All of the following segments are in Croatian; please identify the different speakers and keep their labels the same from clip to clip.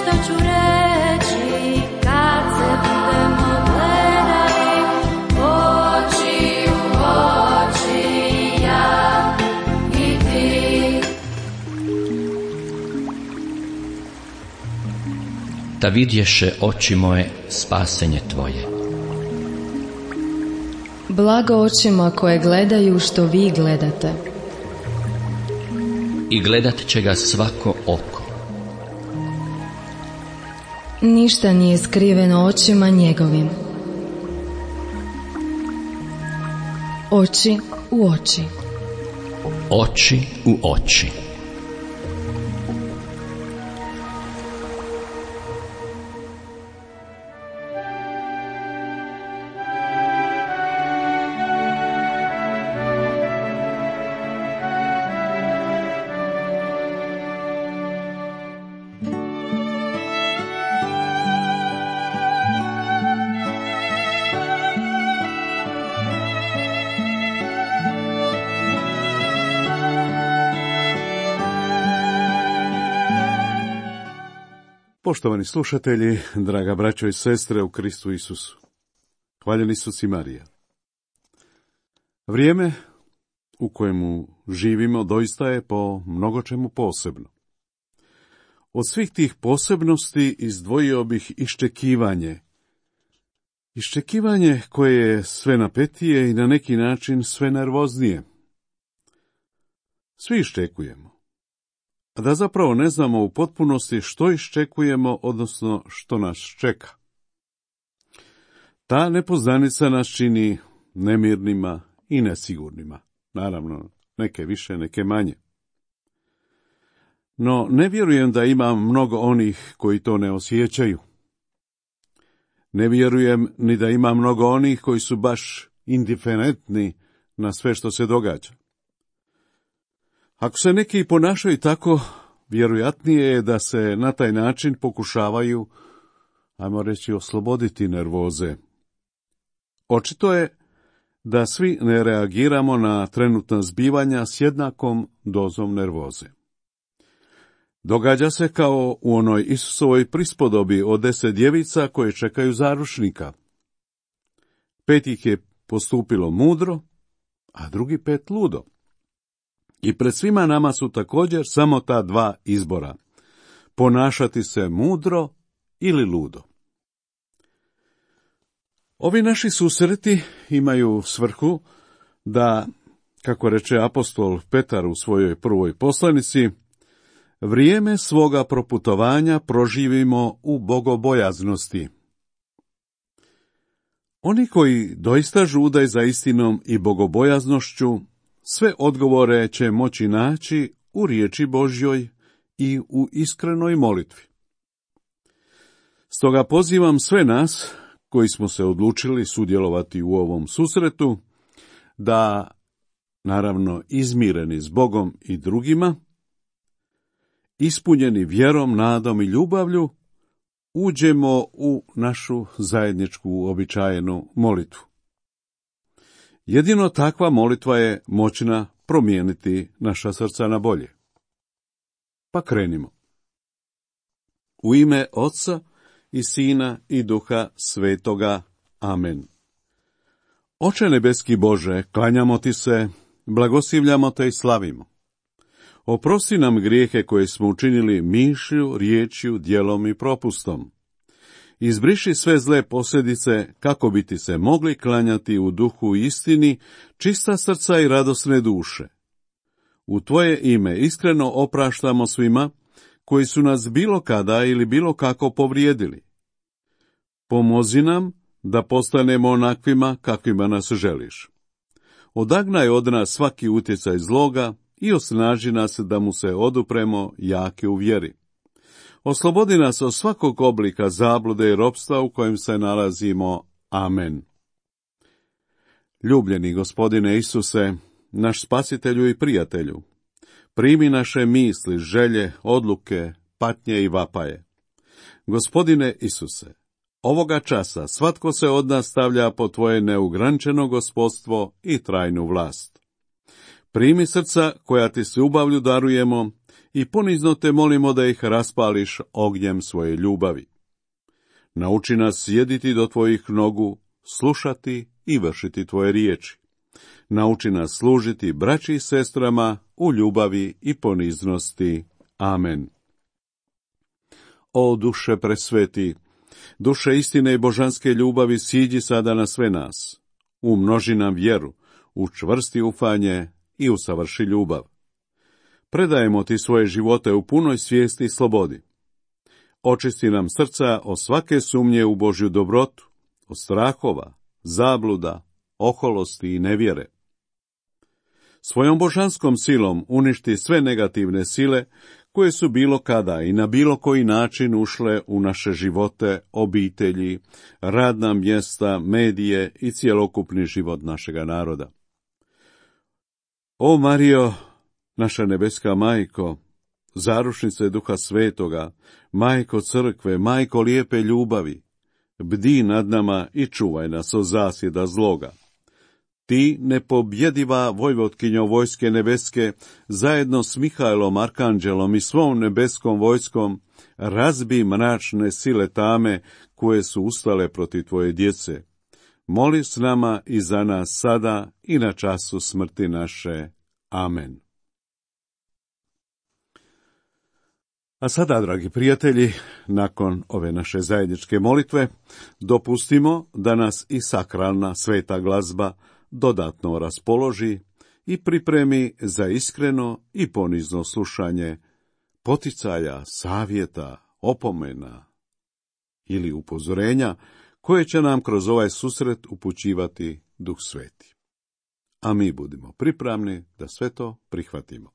Speaker 1: što ću reći kad se budemo gledali oči u oči, ja i ti.
Speaker 2: Da vidješe oči moje spasenje tvoje.
Speaker 3: Blago očima koje gledaju što vi gledate.
Speaker 2: I gledat će ga svako oko.
Speaker 3: Ništa nije skriveno očima njegovim. Oči u oči.
Speaker 2: Oči u oči.
Speaker 4: Poštovani slušatelji, draga braćo i sestre u Kristu Isusu, hvaljen Isus i Marija. Vrijeme u kojemu živimo doista je po mnogo čemu posebno. Od svih tih posebnosti izdvojio bih iščekivanje. Iščekivanje koje je sve napetije i na neki način sve nervoznije. Svi iščekujemo. A da zapravo ne znamo u potpunosti što iščekujemo, odnosno što nas čeka. Ta nepoznanica nas čini nemirnima i nesigurnima. Naravno, neke više, neke manje. No, ne vjerujem da ima mnogo onih koji to ne osjećaju. Ne vjerujem ni da ima mnogo onih koji su baš indiferentni na sve što se događa. Ako se neki ponašaju tako, vjerojatnije je da se na taj način pokušavaju, ajmo reći, osloboditi nervoze. Očito je da svi ne reagiramo na trenutna zbivanja s jednakom dozom nervoze. Događa se kao u onoj Isusovoj prispodobi o 10 djevica koje čekaju zaručnika. 5 ih je postupilo mudro, a drugi 5 ludo. I pred svima nama su također samo ta 2 izbora. Ponašati se mudro ili ludo. Ovi naši susreti imaju svrhu da, kako reče apostol Petar u svojoj prvoj poslanici, vrijeme svoga proputovanja proživimo u bogobojaznosti. Oni koji doista žudaju za istinom i bogobojaznošću, sve odgovore će moći naći u riječi Božjoj i u iskrenoj molitvi. Stoga pozivam sve nas, koji smo se odlučili sudjelovati u ovom susretu, da, naravno izmireni s Bogom i drugima, ispunjeni vjerom, nadom i ljubavlju, uđemo u našu zajedničku uobičajenu molitvu. Jedino takva molitva je moćna promijeniti naša srca na bolje. Pa krenimo. U ime Oca i Sina i Duha Svetoga. Amen. Oče nebeski Bože, klanjamo ti se, blagoslivljamo te i slavimo. Oprosti nam grijehe koje smo učinili mišlju, riječju, djelom i propustom. Izbriši sve zle posljedice kako bi ti se mogli klanjati u duhu i istini, čista srca i radosne duše. U tvoje ime iskreno opraštamo svima koji su nas bilo kada ili bilo kako povrijedili. Pomozi nam da postanemo onakvima kakvima nas želiš. Odagnaj od nas svaki utjecaj zloga i osnaži nas da mu se odupremo jake u vjeri. Oslobodi nas od svakog oblika zablude i ropstva u kojem se nalazimo. Amen. Ljubljeni Gospodine Isuse, naš spasitelju i prijatelju, primi naše misli, želje, odluke, patnje i vapaje. Gospodine Isuse, ovoga časa svatko se od nas stavlja pod tvoje neograničeno gospodstvo i trajnu vlast. Primi srca koja ti s ljubavlju darujemo i ponizno te molimo da ih raspališ ognjem svoje ljubavi. Nauči nas sjediti do tvojih nogu, slušati i vršiti tvoje riječi. Nauči nas služiti braći i sestrama u ljubavi i poniznosti. Amen. O duše presveti, duše istine i božanske ljubavi, siđi sada na sve nas. Umnoži nam vjeru, učvrsti ufanje i usavrši ljubav. Predajemo ti svoje živote u punoj svijesti i slobodi. Očisti nam srca od svake sumnje u Božju dobrotu, od strahova, zabluda, oholosti i nevjere. Svojom božanskom silom uništi sve negativne sile koje su bilo kada i na bilo koji način ušle u naše živote, obitelji, radna mjesta, medije i cjelokupni život našega naroda. O Marijo, naša nebeska majko, zaručnice Duha Svetoga, majko crkve, majko lijepe ljubavi, bdi nad nama i čuvaj nas od zasjeda zloga. Ti, nepobjediva vojvotkinjo vojske nebeske, zajedno s Mihajlom Arkanđelom i svom nebeskom vojskom, razbi mračne sile tame koje su ustale protiv tvoje djece. Moli s nama i za nas sada i na času smrti naše. Amen. A sada, dragi prijatelji, nakon ove naše zajedničke molitve, dopustimo da nas i sakralna sveta glazba dodatno raspoloži i pripremi za iskreno i ponizno slušanje poticaja, savjeta, opomena ili upozorenja koje će nam kroz ovaj susret upućivati Duh Sveti. A mi budimo pripravni da sve to prihvatimo.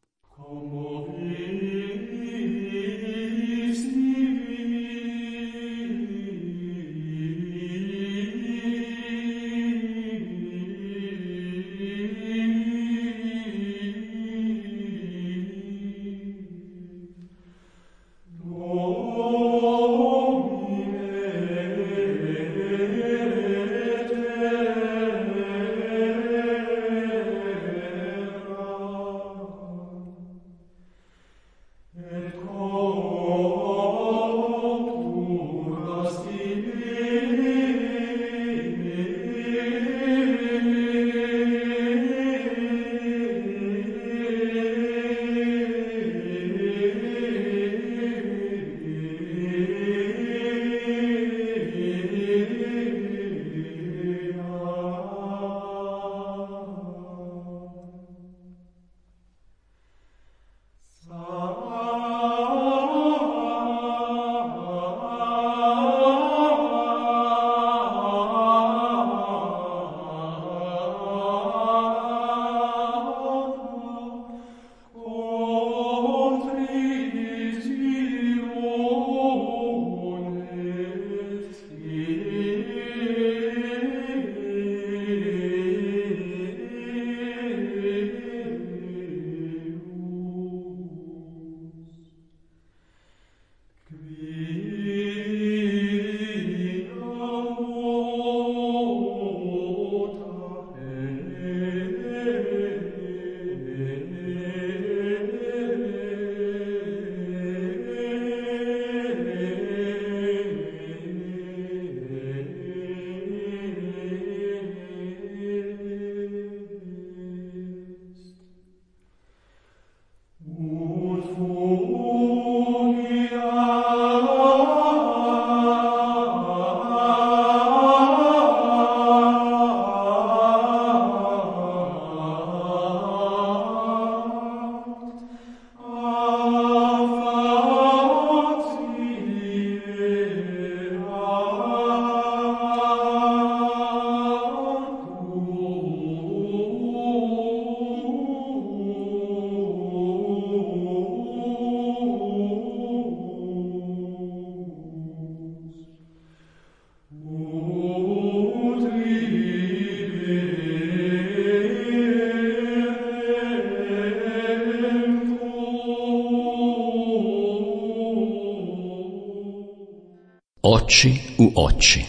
Speaker 2: Oči u oči.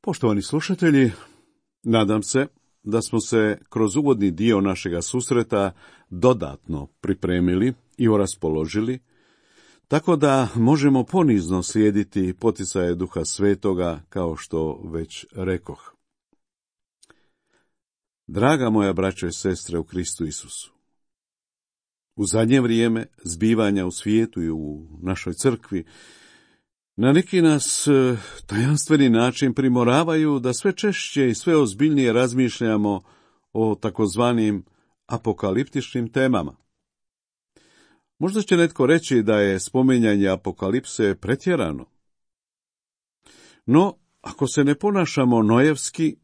Speaker 4: Poštovani slušatelji, nadam se da smo se kroz uvodni dio našega susreta dodatno pripremili i oraspoložili, tako da možemo ponizno slijediti poticaje Duha Svetoga, kao što već rekoh. Draga moja braćo i sestre u Kristu Isusu, u zadnje vrijeme zbivanja u svijetu i u našoj crkvi na neki nas tajanstveni način primoravaju da sve češće i sve ozbiljnije razmišljamo o takozvanim apokaliptičnim temama. Možda će netko reći da je spominjanje apokalipse pretjerano. No, ako se ne ponašamo nojevski,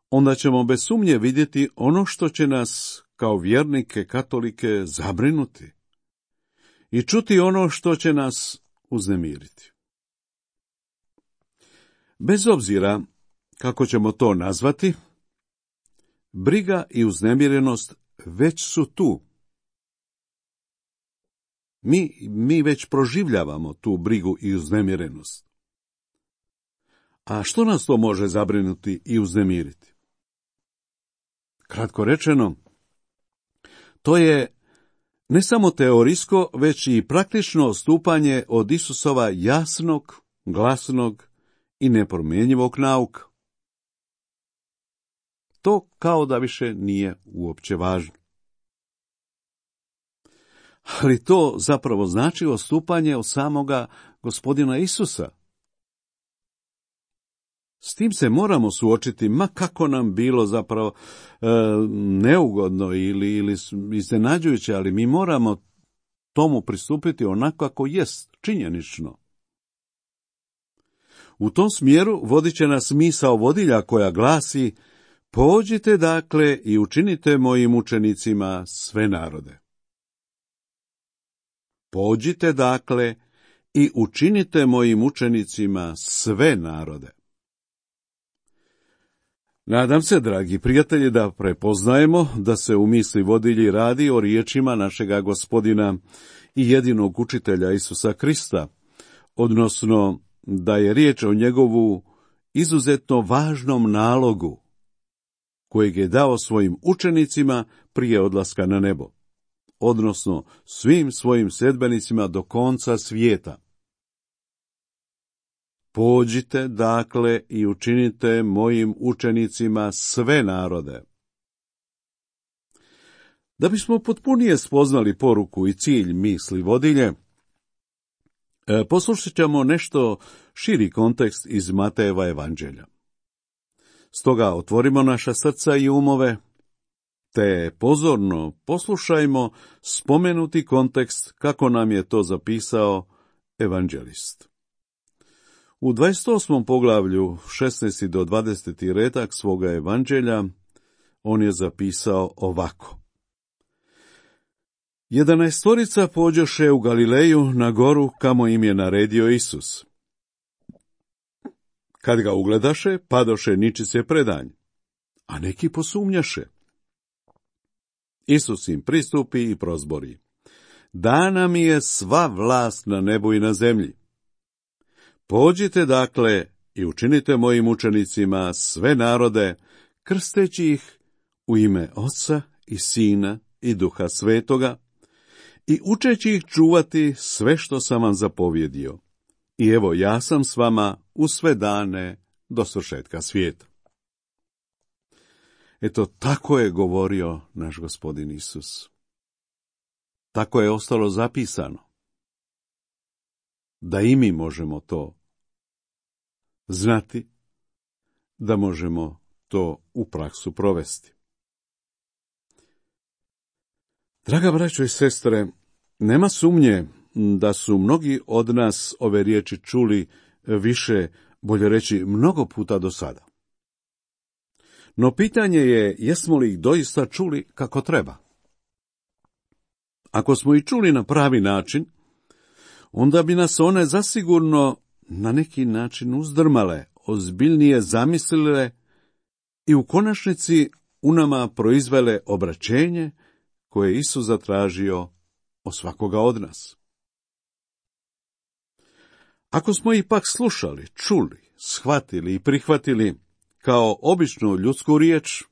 Speaker 4: onda ćemo bez sumnje vidjeti ono što će nas kao vjernike katolike zabrinuti i čuti ono što će nas uznemiriti. Bez obzira kako ćemo to nazvati, briga i uznemirenost već su tu. Mi već proživljavamo tu brigu i uznemirenost. A što nas to može zabrinuti i uznemiriti? Kratko rečeno, to je ne samo teorijsko, već i praktično odstupanje od Isusova jasnog, glasnog i nepromjenjivog nauka. To kao da više nije uopće važno. Ali to zapravo znači odstupanje od samoga Gospodina Isusa. S tim se moramo suočiti, ma kako nam bilo zapravo neugodno ili iznenađujuće, ali mi moramo tomu pristupiti onako kako jest, činjenično. U tom smjeru vodit će nas misao vodilja koja glasi: pođite dakle i učinite mojim učenicima sve narode. Pođite dakle i učinite mojim učenicima sve narode. Nadam se, dragi prijatelji, da prepoznajemo da se u misli vodilji radi o riječima našega Gospodina i jedinog učitelja Isusa Krista, odnosno da je riječ o njegovu izuzetno važnom nalogu kojeg je dao svojim učenicima prije odlaska na nebo, odnosno svim svojim sljedbenicima do konca svijeta. Pođite dakle i učinite mojim učenicima sve narode. Da bismo potpunije spoznali poruku i cilj misli vodilje, poslušat ćemo nešto širi kontekst iz Matejeva evanđelja. Stoga otvorimo naša srca i umove, te pozorno poslušajmo spomenuti kontekst kako nam je to zapisao evanđelist. U 28. poglavlju 16. do 20. redak svoga evanđelja on je zapisao ovako: 11 pođoše u Galileju na goru kamo im je naredio Isus. Kad ga ugledaše, padoše ničice predanj, a neki posumnjaše. Isus im pristupi i prozbori: dana mi je sva vlast na nebu i na zemlji. Pođite dakle i učinite mojim učenicima sve narode, krsteći ih u ime Oca i Sina i Duha Svetoga i učeći ih čuvati sve što sam vam zapovjedio. I evo, ja sam s vama u sve dane do svršetka svijeta. Eto, tako je govorio naš Gospodin Isus. Tako je ostalo zapisano. Da i mi možemo to znati, da možemo to u praksu provesti. Draga braćo i sestre, nema sumnje da su mnogi od nas ove riječi čuli više, bolje reći, mnogo puta do sada. No pitanje je, jesmo li ih doista čuli kako treba? Ako smo ih čuli na pravi način, onda bi nas one zasigurno na neki način uzdrmale, ozbiljnije zamislile i u konačnici u nama proizvele obraćenje koje je Isus zatražio od svakoga od nas. Ako smo ih pak slušali, čuli, shvatili i prihvatili kao običnu ljudsku riječ,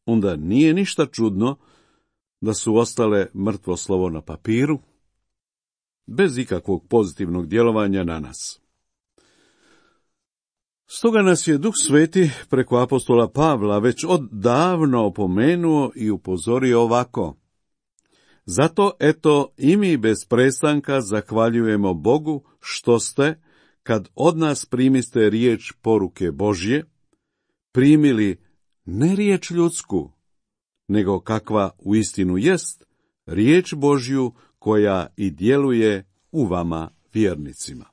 Speaker 4: onda nije ništa čudno da su ostale mrtvo slovo na papiru, bez ikakvog pozitivnog djelovanja na nas. Stoga nas je Duh Sveti preko apostola Pavla već odavno opomenuo i upozorio ovako: zato, eto, i mi bez prestanka zahvaljujemo Bogu što ste, kad od nas primiste riječ poruke Božje, primili ne riječ ljudsku, nego kakva uistinu jest, riječ Božju koja i djeluje u vama vjernicima.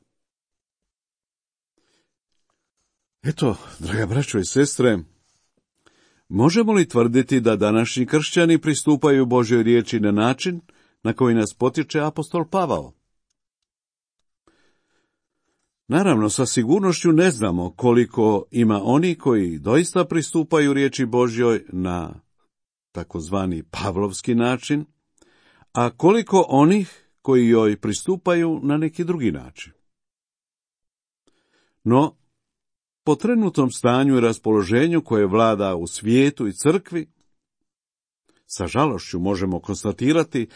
Speaker 4: Eto, draga braćo i sestre, možemo li tvrditi da današnji kršćani pristupaju Božjoj riječi na način na koji nas potiče apostol Pavao? Naravno, sa sigurnošću ne znamo koliko ima oni koji doista pristupaju riječi Božjoj na takozvani pavlovski način, a koliko onih koji joj pristupaju na neki drugi način. No, po trenutnom stanju i raspoloženju koje vlada u svijetu i crkvi, sa žalošću možemo konstatirati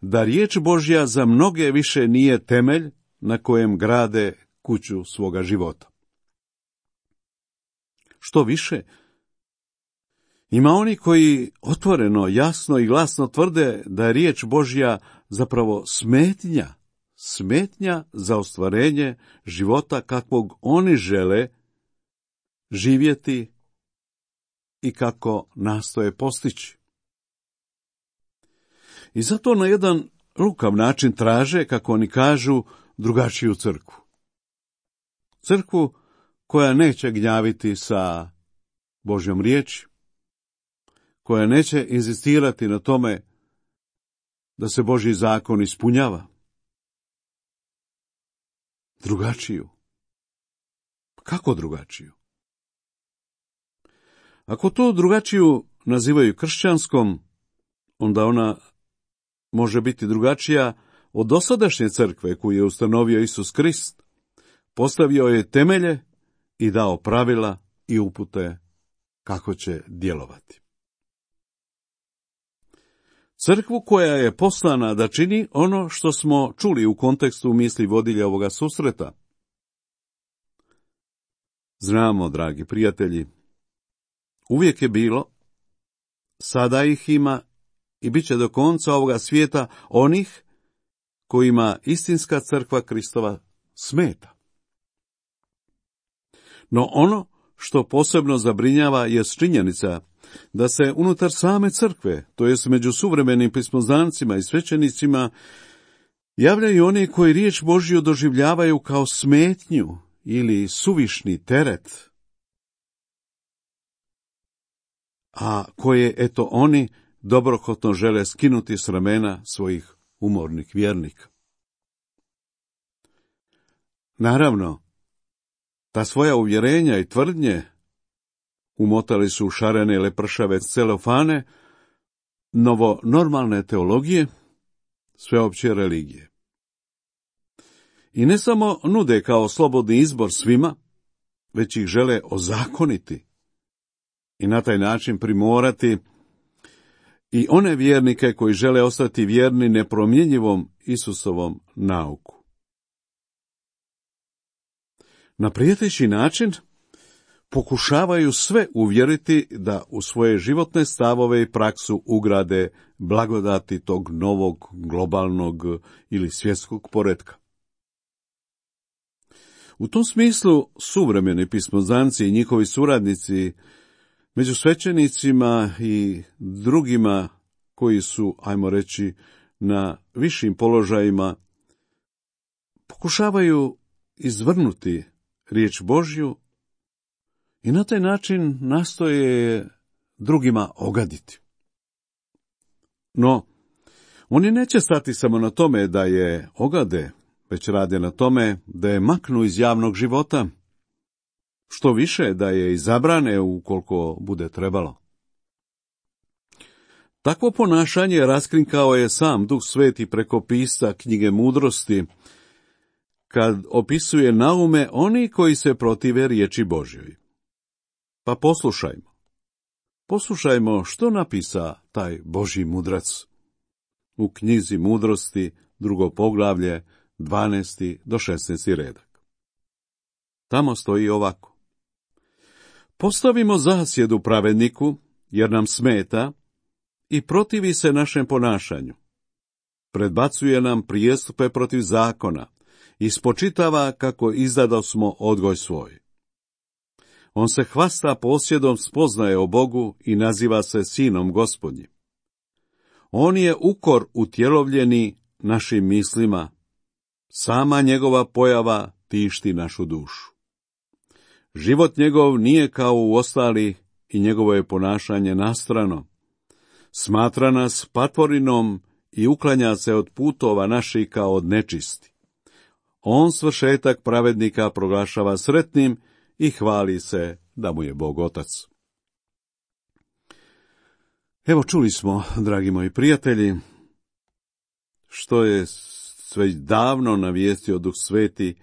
Speaker 4: da riječ Božja za mnoge više nije temelj na kojem grade kuću svoga života. Što više, ima oni koji otvoreno, jasno i glasno tvrde da je riječ Božja zapravo smetnja za ostvarenje života kakvog oni žele živjeti i kako nastoje postići. I zato na jedan lukav način traže, kako oni kažu, drugačiju crkvu. Crkvu koja neće gnjaviti sa Božjom riječi, koja neće inzistirati na tome da se Božji zakon ispunjava. Drugačiju. Kako drugačiju? Ako to drugačiju nazivaju kršćanskom, onda ona može biti drugačija od dosadašnje crkve koju je ustanovio Isus Krist, postavio je temelje i dao pravila i upute kako će djelovati. Crkvu koja je poslana da čini ono što smo čuli u kontekstu misli vodilja ovoga susreta. Znamo, dragi prijatelji, uvijek je bilo, sada ih ima i bit će do konca ovoga svijeta onih kojima istinska crkva Kristova smeta. No ono što posebno zabrinjava je činjenica da se unutar same crkve, to jest među suvremenim pismoznancima i svećenicima, javljaju oni koji riječ Božju doživljavaju kao smetnju ili suvišni teret, a koje, eto, oni dobrohotno žele skinuti s ramena svojih umornih vjernika. Naravno, ta svoja uvjerenja i tvrdnje umotali su u šarene lepršave celofane novonormalne teologije, sveopće religije. I ne samo nude kao slobodni izbor svima, već ih žele ozakoniti i na taj način primorati i one vjernike koji žele ostati vjerni nepromjenjivom Isusovom nauku. Na prijeteći način pokušavaju sve uvjeriti da u svoje životne stavove i praksu ugrade blagodati tog novog globalnog ili svjetskog poretka. U tom smislu suvremeni pismoznanci i njihovi suradnici među svećenicima i drugima koji su, ajmo reći, na višim položajima, pokušavaju izvrnuti riječ Božju i na taj način nastoje drugima ogaditi. No, oni neće stati samo na tome da je ogade, već rade na tome da je maknu iz javnog života, što više da je izabrane ukoliko bude trebalo. Takvo ponašanje raskrinkao je sam Duh Sveti preko pisca knjige Mudrosti, kad opisuje naume oni koji se protive riječi Božjoj. Pa poslušajmo. Poslušajmo što napisa taj Božji mudrac. U knjizi Mudrosti, 2. poglavlje, 12. do 16. redak. Tamo stoji ovako. Postavimo zasjedu pravedniku, jer nam smeta i protivi se našem ponašanju. Predbacuje nam prijestupe protiv zakona i spočitava kako izdadosmo odgoj svoj. On se hvasta posjedom spoznaje o Bogu i naziva se sinom Gospodnjim. On je ukor utjelovljeni našim mislima, sama njegova pojava tišti našu dušu. Život njegov nije kao u ostali i njegovo je ponašanje nastrano. Smatra nas patvorinom i uklanja se od putova naših kao od nečisti. On svršetak pravednika proglašava sretnim i hvali se da mu je Bog Otac. Evo čuli smo, dragi moji prijatelji, što je već davno navijestio Duh Sveti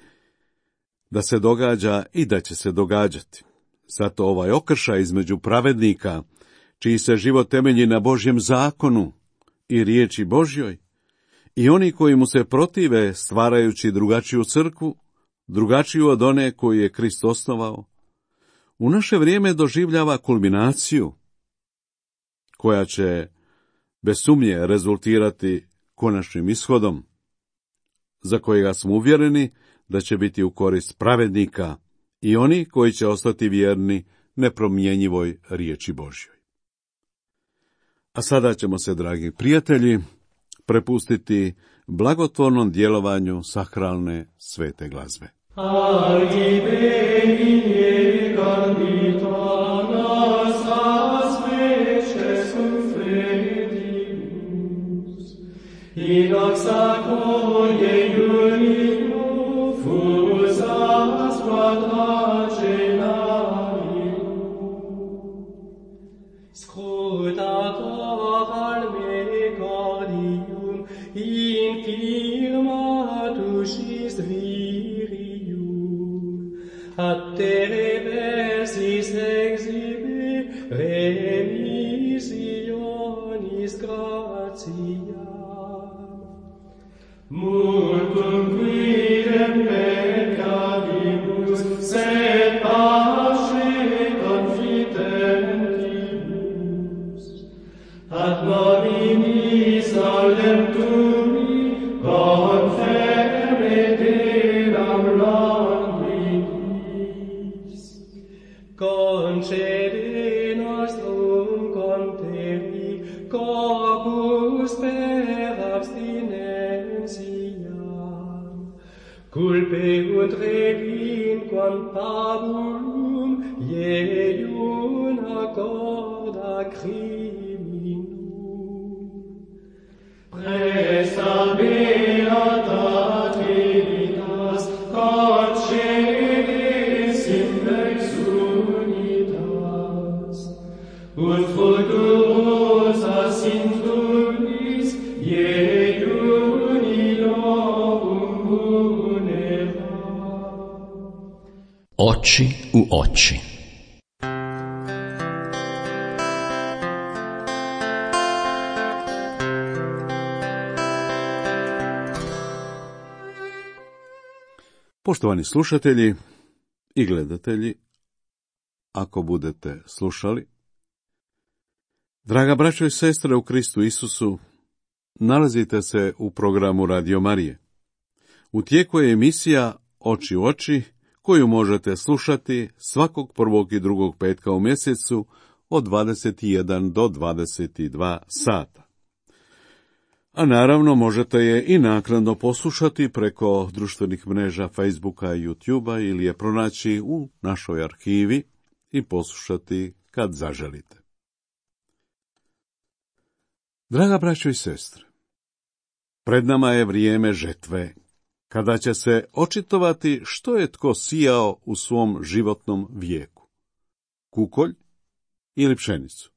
Speaker 4: da se događa i da će se događati. Zato ovaj okršaj između pravednika, čiji se život temelji na Božjem zakonu i riječi Božjoj, i oni koji mu se protive stvarajući drugačiju crkvu, drugačiju od one koju je Krist osnovao, u naše vrijeme doživljava kulminaciju, koja će bez sumnje rezultirati konačnim ishodom, za kojega smo uvjereni da će biti u korist pravednika i oni koji će ostati vjerni nepromjenjivoj riječi Božjoj. A sada ćemo se, dragi prijatelji, prepustiti blagotvornom djelovanju sakralne svete glazbe.
Speaker 5: Ad te reversis exibe remisionis gratiam. Multum quidem peccabibus, sed pace confidentibus. Ad nominis aulem tumi, confere delam concede nostrum conteri corpus per abstinentiam, culpe ut relinquam pabulum ieium accorda criminum. Presta beata Trinitas, concedes in lex unitas, ut fructuosa sintunis ieium illorum munera.
Speaker 2: Oči u oči.
Speaker 4: Poštovani slušatelji i gledatelji, ako budete slušali, draga braćo i sestre u Kristu Isusu, nalazite se u programu Radio Marije. U tijeku je emisija Oči u oči, koju možete slušati svakog prvog i drugog petka u mjesecu od 21 do 22 sata. A naravno možete je i naknadno poslušati preko društvenih mreža Facebooka i YouTubea ili je pronaći u našoj arhivi i poslušati kad zaželite. Draga braćo i sestre, pred nama je vrijeme žetve, kada će se očitovati što je tko sijao u svom životnom vijeku, kukolj ili pšenicu.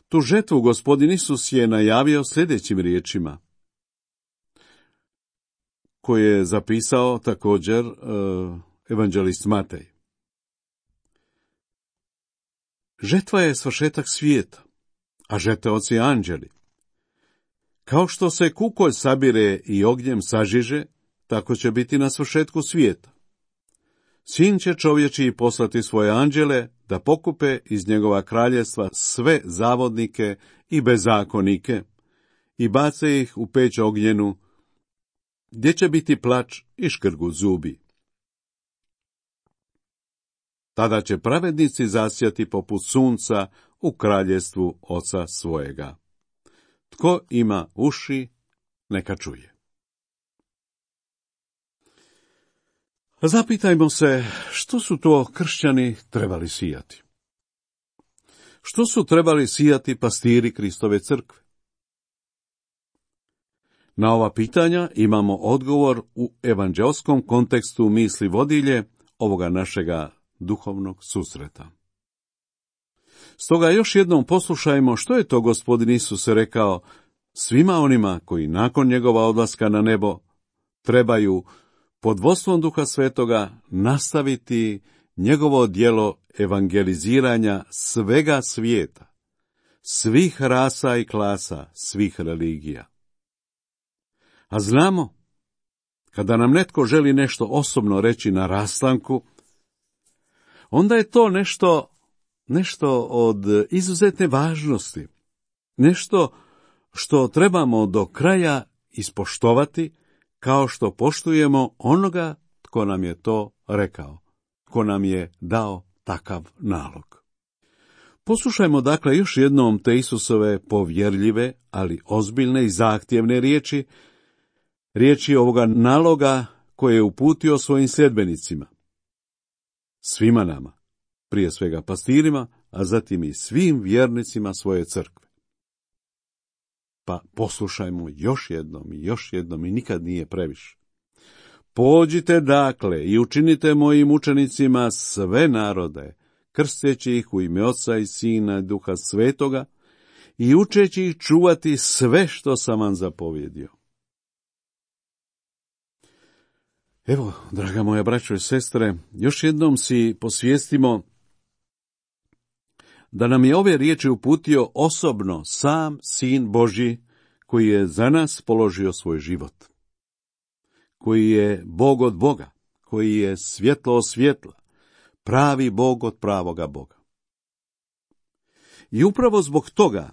Speaker 4: Tu žetvu Gospodin Isus je najavio sljedećim riječima. koje je zapisao također evanđelist Matej. Žetva je svršetak svijeta, a žeteoci anđeli. Kao što se kukolj sabire i ognjem sažiže, tako će biti na svršetku svijeta. Sin će čovječiji poslati svoje anđele da pokupe iz njegova kraljevstva sve zavodnike i bezakonike i bace ih u peć ognjenu, gdje će biti plač i škrgut zubi. Tada će pravednici zasjati poput sunca u kraljevstvu Oca svojega. Tko ima uši, neka čuje. Zapitajmo se što su to kršćani trebali sijati. Što su trebali sijati pastiri Kristove crkve? Na ova pitanja imamo odgovor u evanđelskom kontekstu misli vodilje ovoga našega duhovnog susreta. Stoga još jednom poslušajmo što je to Gospodin Isus rekao svima onima koji nakon njegova odlaska na nebo trebaju pod vodstvom Duha Svetoga nastaviti njegovo djelo evangeliziranja svega svijeta, svih rasa i klasa, svih religija. A znamo, kada nam netko želi nešto osobno reći na rastanku, onda je to nešto od izuzetne važnosti, nešto što trebamo do kraja ispoštovati, kao što poštujemo onoga tko nam je to rekao, tko nam je dao takav nalog. Poslušajmo dakle još jednom te Isusove povjerljive, ali ozbiljne i zahtjevne riječi ovoga naloga koje je uputio svojim sljedbenicima. Svima nama, prije svega pastirima, a zatim i svim vjernicima svoje crkve. Pa poslušajmo još jednom i nikad nije previše. Pođite dakle i učinite mojim učenicima sve narode, krsteći ih u ime Oca i Sina i Duha Svetoga i učeći ih čuvati sve što sam vam zapovjedio. Evo, draga moja braćo i sestre, još jednom si posvijestimo da nam je ove riječi uputio osobno sam Sin Božji, koji je za nas položio svoj život, koji je Bog od Boga, koji je svjetlo od svjetla, pravi Bog od pravoga Boga. I upravo zbog toga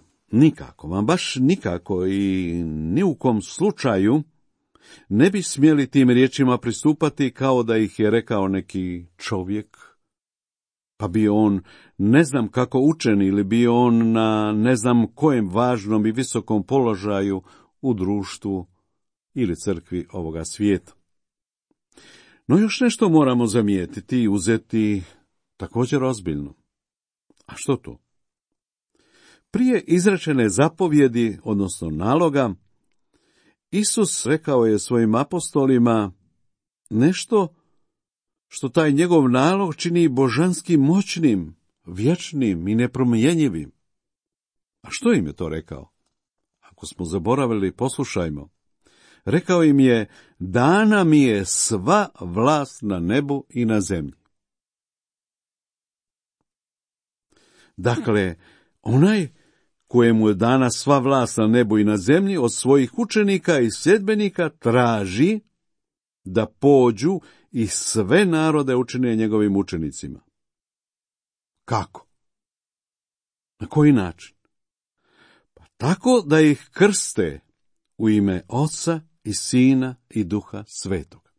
Speaker 4: baš nikako i ni u kom slučaju ne bi smjeli tim riječima pristupati kao da ih je rekao neki čovjek, pa bio on ne znam kako učen ili bio on na ne znam kojem važnom i visokom položaju u društvu ili crkvi ovoga svijeta. No još nešto moramo zamijetiti i uzeti također ozbiljno. A što to? Prije izrečene zapovjedi, odnosno naloga, Isus rekao je svojim apostolima nešto što taj njegov nalog čini božanski moćnim, vječnim i nepromjenjivim. A što im je to rekao? Ako smo zaboravili, poslušajmo. Rekao im je, dana mi je sva vlast na nebu i na zemlji. Dakle, onaj kojemu je dana sva vlast na nebu i na zemlji od svojih učenika i sljedbenika traži da pođu i sve narode učine njegovim učenicima. Kako? Na koji način? Pa tako da ih krste u ime Oca i Sina i Duha Svetoga.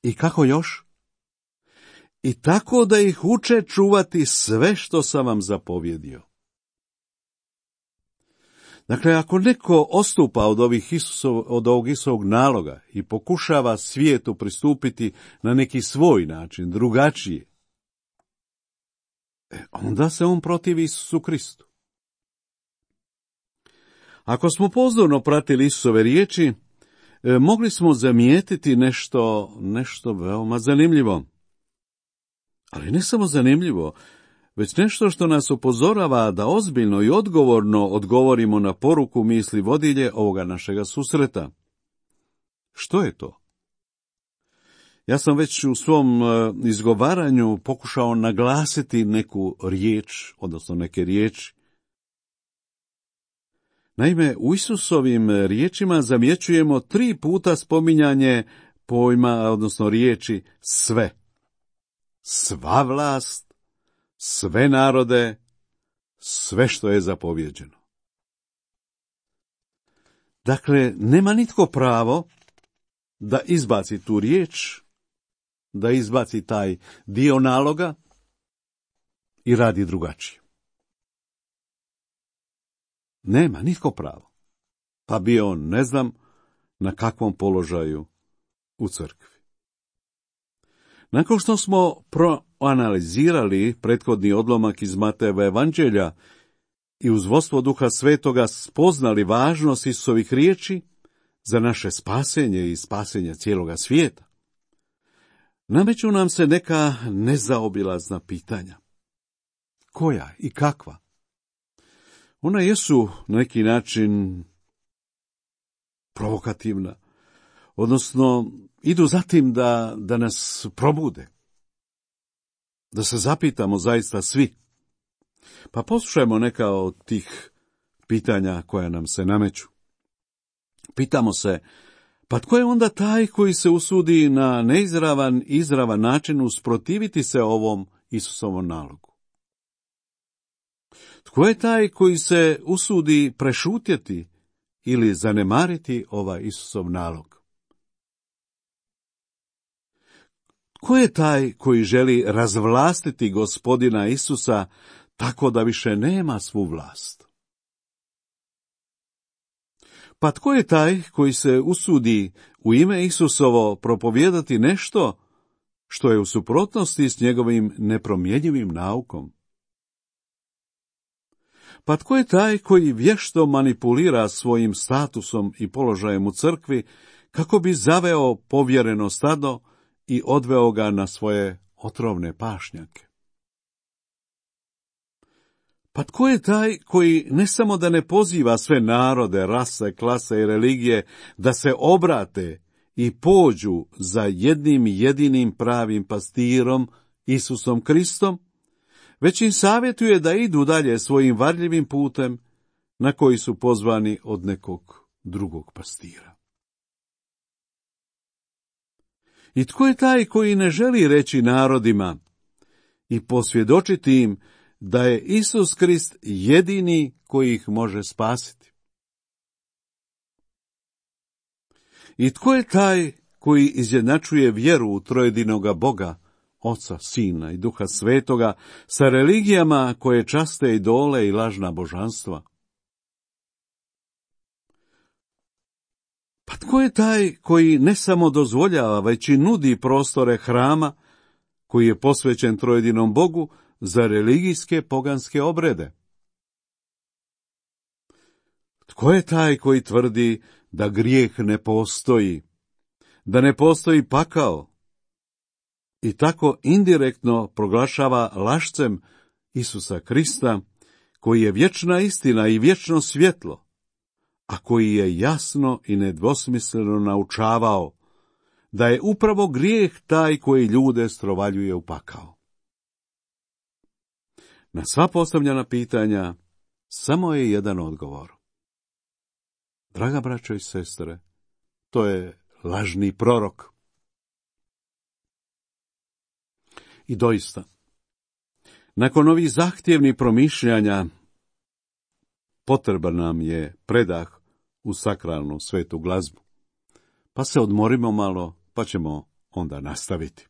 Speaker 4: I kako još? I tako da ih uče čuvati sve što sam vam zapovjedio. Dakle, ako neko odstupa od ovog Isusovog naloga i pokušava svijetu pristupiti na neki svoj način, drugačije, onda se on protivi Isusu Kristu. Ako smo pozorno pratili Isusove riječi, mogli smo zamijetiti nešto veoma zanimljivo. Ali ne samo zanimljivo, već nešto što nas upozorava da ozbiljno i odgovorno odgovorimo na poruku misli vodilje ovoga našega susreta. Što je to? Ja sam već u svom izgovaranju pokušao naglasiti neku riječ, odnosno neke riječi. Naime, u Isusovim riječima zamjećujemo 3 puta spominjanje pojma, odnosno riječi sve. Sva vlast, sve narode, sve što je zapovjeđeno. Dakle, nema nitko pravo da izbaci tu riječ, da izbaci taj dio naloga i radi drugačije. Nema nitko pravo. Pa bio on ne znam na kakvom položaju u crkvi. Nakon što smo proanalizirali prethodni odlomak iz Matejeva evanđelja i uz vodstvo Duha Svetoga spoznali važnost Isusovih riječi za naše spasenje i spasenje cijeloga svijeta, nameću nam se neka nezaobilazna pitanja. Koja i kakva? Ona jesu na neki način provokativna, odnosno idu za tim da nas probude, da se zapitamo zaista svi. Pa poslušajmo neka od tih pitanja koja nam se nameću. Pitamo se, pa tko je onda taj koji se usudi na neizravan, izravan način usprotiviti se ovom Isusovom nalogu? Tko je taj koji se usudi prešutjeti ili zanemariti ovaj Isusov nalog? Tko je taj koji želi razvlastiti Gospodina Isusa tako da više nema svu vlast? Pa tko je taj koji se usudi u ime Isusovo propovijedati nešto što je u suprotnosti s njegovim nepromjenjivim naukom? Pa tko je taj koji vješto manipulira svojim statusom i položajem u crkvi kako bi zaveo povjereno stado i odveo ga na svoje otrovne pašnjake? Pa tko je taj koji ne samo da ne poziva sve narode, rase, klase i religije da se obrate i pođu za jednim jedinim pravim pastirom, Isusom Kristom, već im savjetuje da idu dalje svojim varljivim putem na koji su pozvani od nekog drugog pastira? I tko je taj koji ne želi reći narodima i posvjedočiti im da je Isus Krist jedini koji ih može spasiti? I tko je taj koji izjednačuje vjeru u trojedinoga Boga, Oca, Sina i Duha Svetoga, sa religijama koje časte idole i lažna božanstva? Pa tko je taj koji ne samo dozvoljava, već i nudi prostore hrama koji je posvećen trojedinom Bogu za religijske poganske obrede? Tko je taj koji tvrdi da grijeh ne postoji, da ne postoji pakao i tako indirektno proglašava lašcem Isusa Krista, koji je vječna istina i vječno svjetlo, a koji je jasno i nedvosmisleno naučavao da je upravo grijeh taj koji ljude strovaljuje u pakao? Na sva postavljena pitanja samo je jedan odgovor. Draga braćo i sestre, to je lažni prorok. I doista, nakon ovih zahtjevnih promišljanja, potreban nam je predah u sakralnu svetu glazbu. Pa se odmorimo malo, pa ćemo onda nastaviti.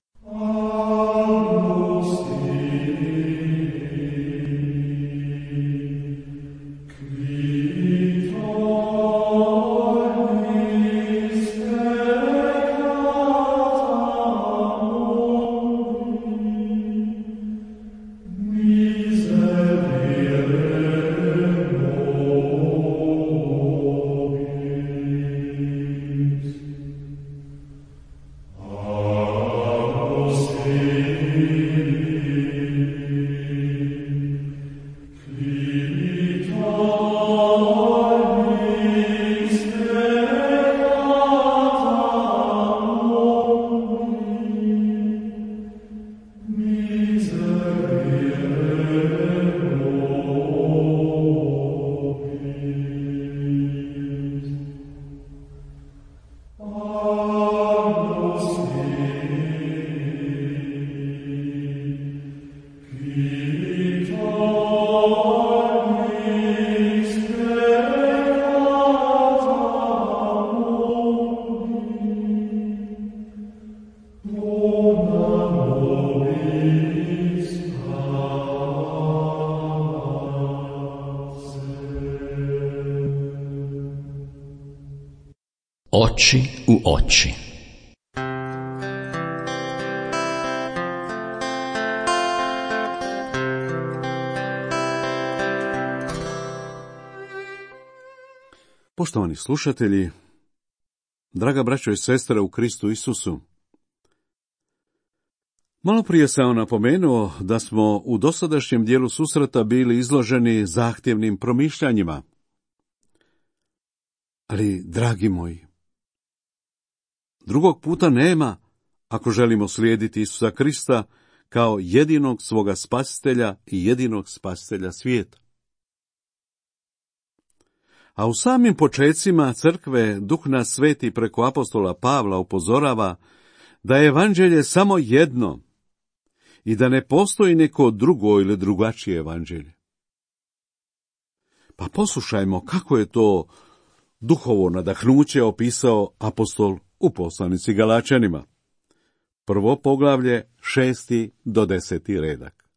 Speaker 2: Oči u oči.
Speaker 4: Poštovani slušatelji, draga braćo i sestre u Kristu Isusu, malo prije sam napomenuo da smo u dosadašnjem dijelu susreta bili izloženi zahtjevnim promišljanjima. Ali, dragi moji, drugog puta nema ako želimo slijediti Isusa Krista kao jedinog svoga spasitelja i jedinog spasitelja svijeta. A u samim počecima crkve Duh nas Sveti preko apostola Pavla upozorava da je evanđelje samo jedno i da ne postoji neko drugo ili drugačije evanđelje. Pa poslušajmo kako je to duhovo nadahnuće opisao apostol u poslanici Galačanima. Prvo poglavlje, 6. do 10. redak.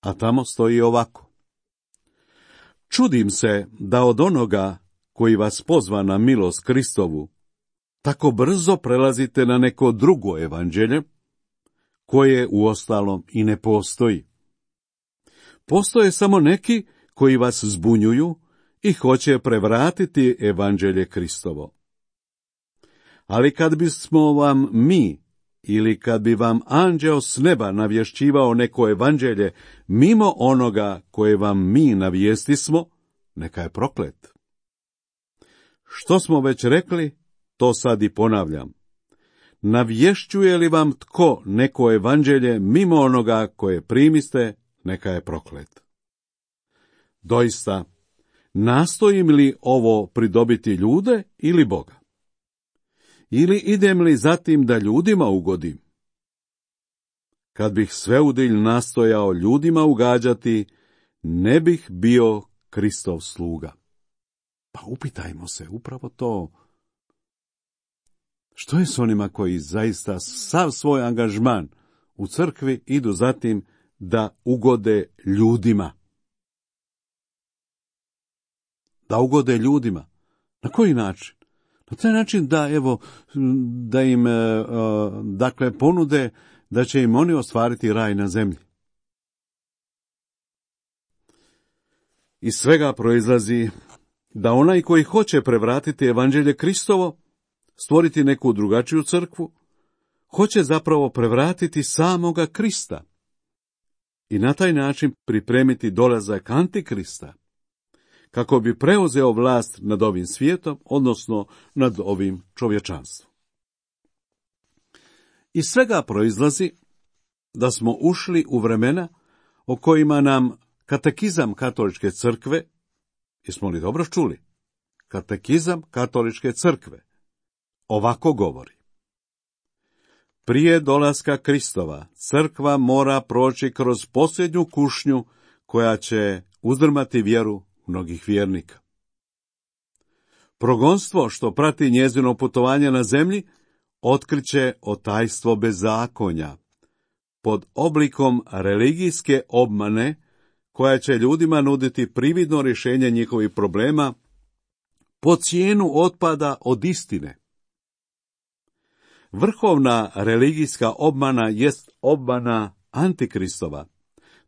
Speaker 4: A tamo stoji ovako. Čudim se da od onoga koji vas pozva na milost Kristovu, tako brzo prelazite na neko drugo evanđelje, koje uostalom i ne postoji. Postoje samo neki koji vas zbunjuju i hoće prevratiti evanđelje Kristovo. Ali kad bismo vam mi, ili kad bi vam anđeo s neba navješćivao neko evanđelje mimo onoga koje vam mi navijestismo, neka je proklet. Što smo već rekli, to sad i ponavljam. Navješćuje li vam tko neko evanđelje mimo onoga koje primiste, neka je proklet. Doista, nastojim li ovo pridobiti ljude ili Boga? Ili idem li zatim da ljudima ugodim? Kad bih sveudilj nastojao ljudima ugađati, ne bih bio Kristov sluga. Pa upitajmo se upravo to. Što je s onima koji zaista sav svoj angažman u crkvi idu zatim da ugode ljudima? Da ugode ljudima. Na koji način? Na taj način da im dakle ponude da će im oni ostvariti raj na zemlji. Iz svega proizlazi da onaj koji hoće prevratiti evanđelje Kristovo, stvoriti neku drugačiju crkvu, hoće zapravo prevratiti samoga Krista i na taj način pripremiti dolazak Antikrista, kako bi preuzeo vlast nad ovim svijetom, odnosno nad ovim čovječanstvom. Iz svega proizlazi da smo ušli u vremena o kojima nam katekizam katoličke crkve, jesmo li dobro čuli? Katekizam katoličke crkve ovako govori. Prije dolaska Kristova, crkva mora proći kroz posljednju kušnju koja će uzdrmati vjeru mnogih vjernika. Progonstvo što prati njezino putovanje na zemlji otkriće otajstvo bezakonja pod oblikom religijske obmane koja će ljudima nuditi prividno rješenje njihovih problema po cijenu otpada od istine. Vrhovna religijska obmana jest obmana Antikristova,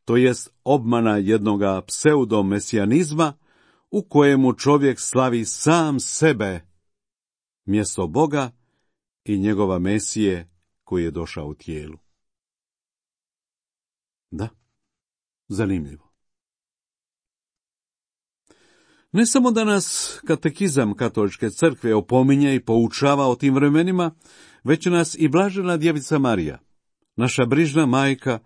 Speaker 4: to jest obmana jednoga pseudomesijanizma u kojemu čovjek slavi sam sebe mjesto Boga i njegova Mesije koji je došao u tijelu. Da, zanimljivo. Ne samo da nas katekizam katoličke crkve opominje i poučava o tim vremenima, već nas i blažena djevica Marija, naša brižna majka,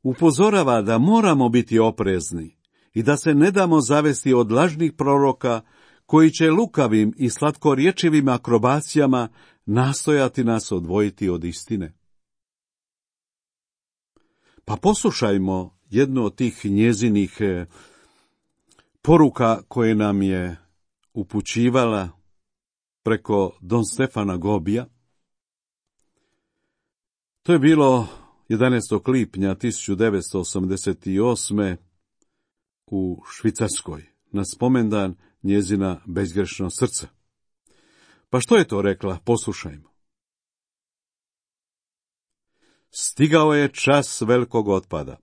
Speaker 4: upozorava da moramo biti oprezni i da se ne damo zavesti od lažnih proroka koji će lukavim i slatkorječivim akrobacijama nastojati nas odvojiti od istine. Pa poslušajmo jednu od tih njezinih poruka koje nam je upućivala preko Don Stefana Gobija. To je bilo 11. lipnja 1988. u Švicarskoj, na spomendan njezina bezgrešno srce. Pa što je to rekla? Poslušajmo. Stigao je čas velikog otpada.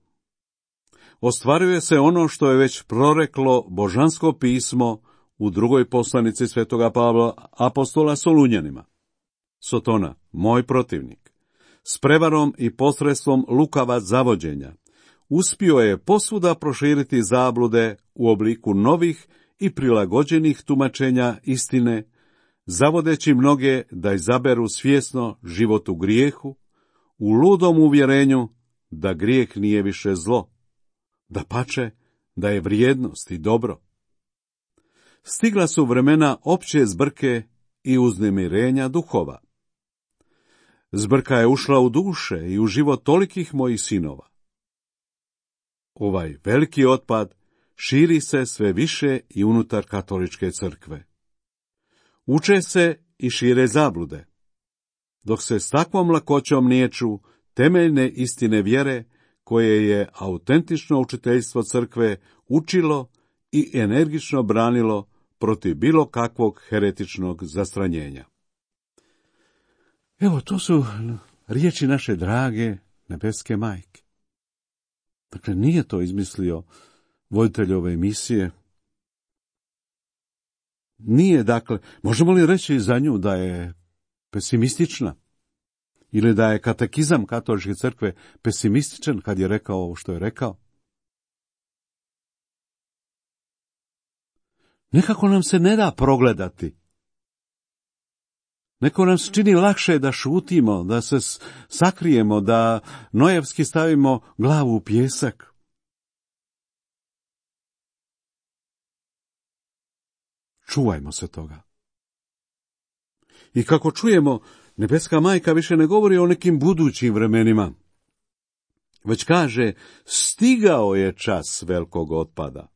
Speaker 4: Ostvaruje se ono što je već proreklo božansko pismo u drugoj poslanici svetoga Pavla apostola Solunjanima. Sotona, moj protivnik, s prevarom i posredstvom lukava zavođenja, uspio je posvuda proširiti zablude u obliku novih i prilagođenih tumačenja istine, zavodeći mnoge da izaberu svjesno život u grijehu, u ludom uvjerenju da grijeh nije više zlo, dapače, da je vrijednost i dobro. Stigla su vremena opće zbrke i uznemirenja duhova. Zbrka je ušla u duše i u život tolikih mojih sinova. Ovaj veliki otpad širi se sve više i unutar katoličke crkve. Uče se i šire zablude, dok se s takvom lakoćom niječu temeljne istine vjere koje je autentično učiteljstvo crkve učilo i energično branilo protiv bilo kakvog heretičnog zastranjenja. Evo, to su riječi naše drage nebeske majke. Dakle, nije to izmislio voditelj ove emisije. Nije, dakle, možemo li reći za nju da je pesimistična? Ili da je katekizam katoličke crkve pesimističan kad je rekao ovo što je rekao? Nekako nam se ne da progledati. Neko nam se čini lakše da šutimo, da se sakrijemo, da nojevski stavimo glavu u pijesak. Čuvajmo se toga. I kako čujemo, nebeska majka više ne govori o nekim budućim vremenima, već kaže, stigao je čas velikog otpada.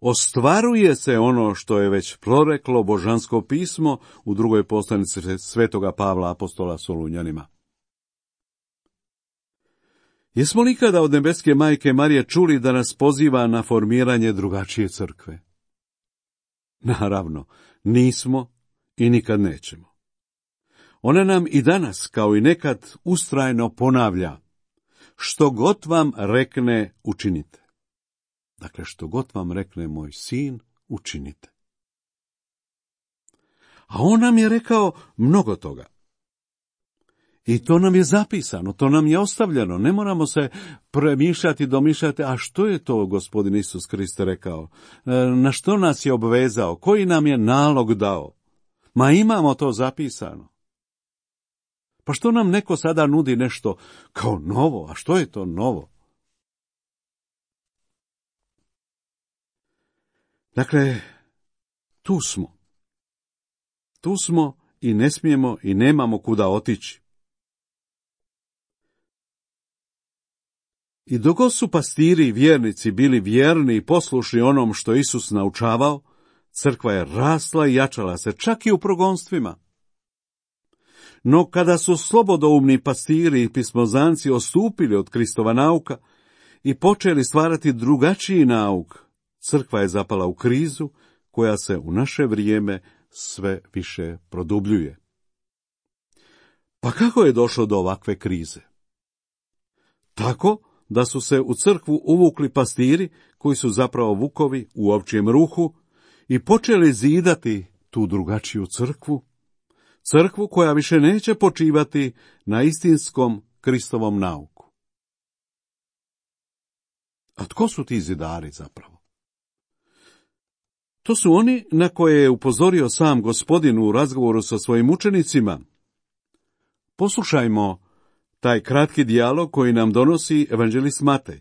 Speaker 4: Ostvaruje se ono što je već proreklo božansko pismo u drugoj poslanici svetoga Pavla apostola Solunjanima. Jesmo li ikada od nebeske majke Marije čuli da nas poziva na formiranje drugačije crkve? Naravno, nismo i nikad nećemo. Ona nam i danas, kao i nekad, ustrajno ponavlja, što god vam rekne, učinite. Dakle, što god vam rekne moj sin, učinite. A on nam je rekao mnogo toga. I to nam je zapisano, to nam je ostavljeno. Ne moramo se premišljati, domišljati, a što je to Gospodin Isus Kriste rekao? Na što nas je obvezao? Koji nam je nalog dao? Ma imamo to zapisano. Pa što nam neko sada nudi nešto kao novo? A što je to novo? Dakle, tu smo. Tu smo i ne smijemo i nemamo kuda otići. I dok god su pastiri i vjernici bili vjerni i poslušni onom što Isus naučavao, crkva je rasla i jačala se, čak i u progonstvima. No kada su slobodoumni pastiri i pismozanci ostupili od Kristova nauka i počeli stvarati drugačiji nauk, crkva je zapala u krizu koja se u naše vrijeme sve više produbljuje. Pa kako je došlo do ovakve krize? Tako da su se u crkvu uvukli pastiri koji su zapravo vukovi u ovčijem ruhu i počeli zidati tu drugačiju crkvu, crkvu koja više neće počivati na istinskom Kristovom nauku. A tko su ti zidari zapravo? To su oni na koje je upozorio sam Gospodin u razgovoru sa svojim učenicima. Poslušajmo taj kratki dijalog koji nam donosi evanđelist Matej.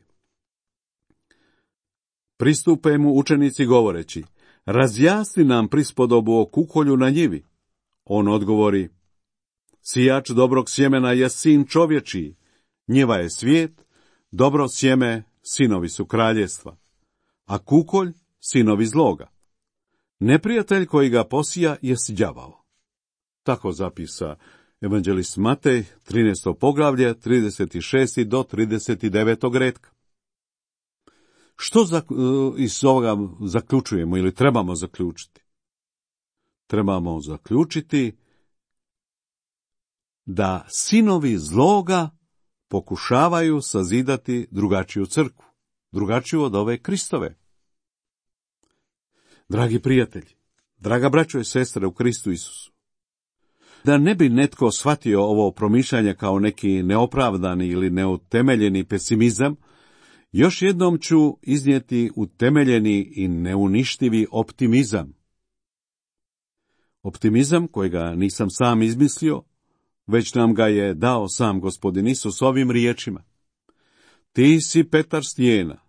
Speaker 4: Pristupe mu učenici govoreći, razjasni nam prispodobu o kukolju na njivi. On odgovori, sijač dobrog sjemena je sin čovječiji, njiva je svijet, dobro sjeme sinovi su kraljevstva, a kukolj sinovi zloga. Neprijatelj koji ga posija jest đavao. Tako zapisa evanđelist Matej, 13. poglavlje, 36. do 39. retka. Što iz ovoga zaključujemo ili trebamo zaključiti? trebamo zaključiti da sinovi zloga pokušavaju sazidati drugačiju crkvu, drugačiju od ove Kristove. Dragi prijatelji, draga braćo i sestre u Kristu Isusu, da ne bi netko shvatio ovo promišljanje kao neki neopravdani ili neutemeljeni pesimizam, još jednom ću iznijeti utemeljeni i neuništivi optimizam. Optimizam kojega nisam sam izmislio, već nam ga je dao sam Gospodin Isus ovim riječima. Ti si Petar stijena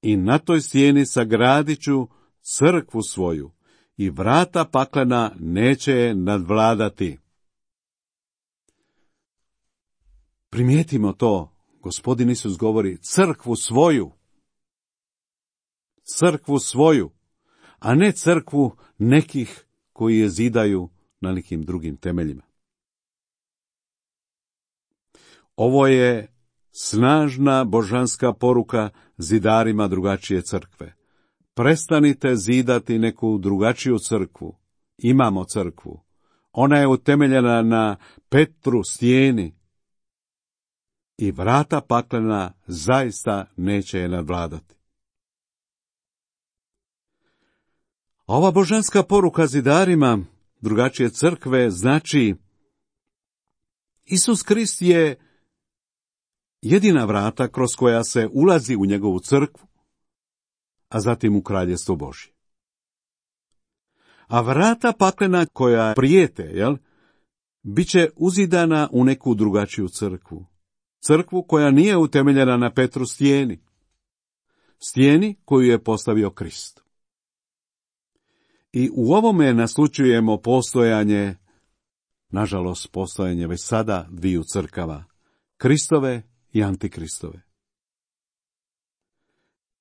Speaker 4: i na toj stijeni sagradit ću crkvu svoju i vrata paklena neće je nadvladati. Primijetimo to, Gospodin Isus govori crkvu svoju, a ne crkvu nekih koji je zidaju na nekim drugim temeljima. Ovo je snažna božanska poruka zidarima drugačije crkve. Prestanite zidati neku drugačiju crkvu. Imamo crkvu. Ona je utemeljena na Petru stijeni i vrata paklena zaista neće je nadvladati. Ova božanska poruka zidarima drugačije crkve znači Isus Krist je jedina vrata kroz koja se ulazi u njegovu crkvu, a zatim u kraljestvo Božje. A vrata paklena koja prijete, bit će uzidana u neku drugačiju crkvu. Crkvu koja nije utemeljena na Petru stijeni. Stijeni koju je postavio Krist. I u ovome naslučujemo postojanje, nažalost postojanje već sada dviju crkava, Kristove i Antikristove.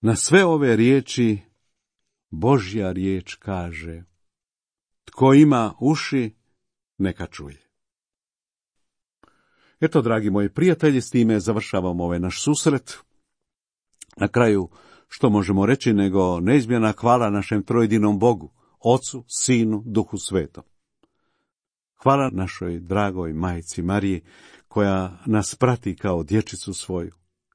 Speaker 4: Na sve ove riječi Božja riječ kaže: tko ima uši, neka čuje. Eto, dragi moji prijatelji, s time završavamo ovaj naš susret. Na kraju, što možemo reći nego neizmjerna hvala našem trojedinom Bogu, Ocu, Sinu, Duhu Svetom. Hvala našoj dragoj majci Mariji, koja nas prati kao dječicu svoju,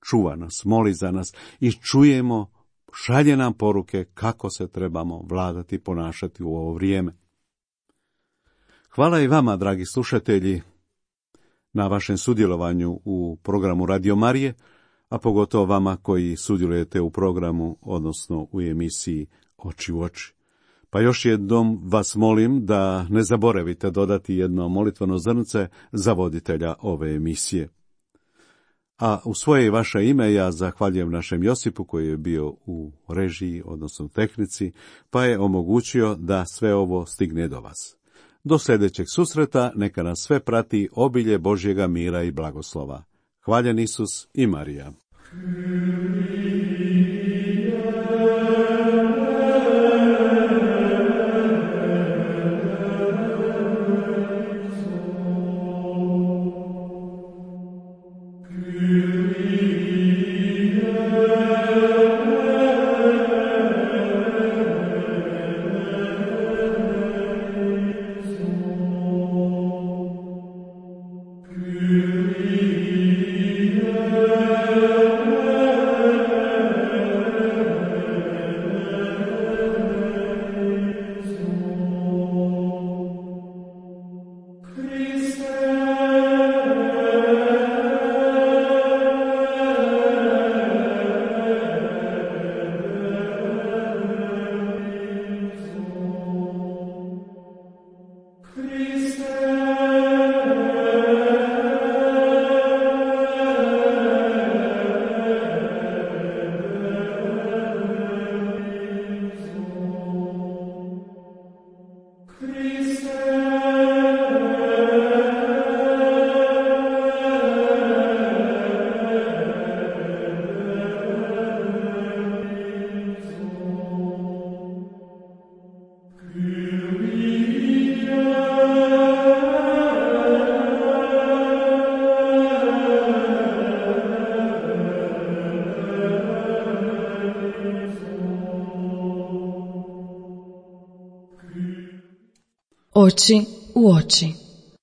Speaker 4: čuva nas, moli za nas i čujemo, šalje nam poruke kako se trebamo vladati i ponašati u ovo vrijeme. Hvala i vama, dragi slušatelji, na vašem sudjelovanju u programu Radio Marije, a pogotovo vama koji sudjelujete u programu, odnosno u emisiji Oči u oči. Pa još jednom vas molim da ne zaboravite dodati jedno molitveno zrnce za voditelja ove emisije. A u svoje i vaše ime ja zahvaljujem našem Josipu koji je bio u režiji, odnosno u tehnici, pa je omogućio da sve ovo stigne do vas. Do sljedećeg susreta neka nas sve prati obilje Božjega mira i blagoslova. Hvaljen Isus i Marija.
Speaker 3: Oči u oči.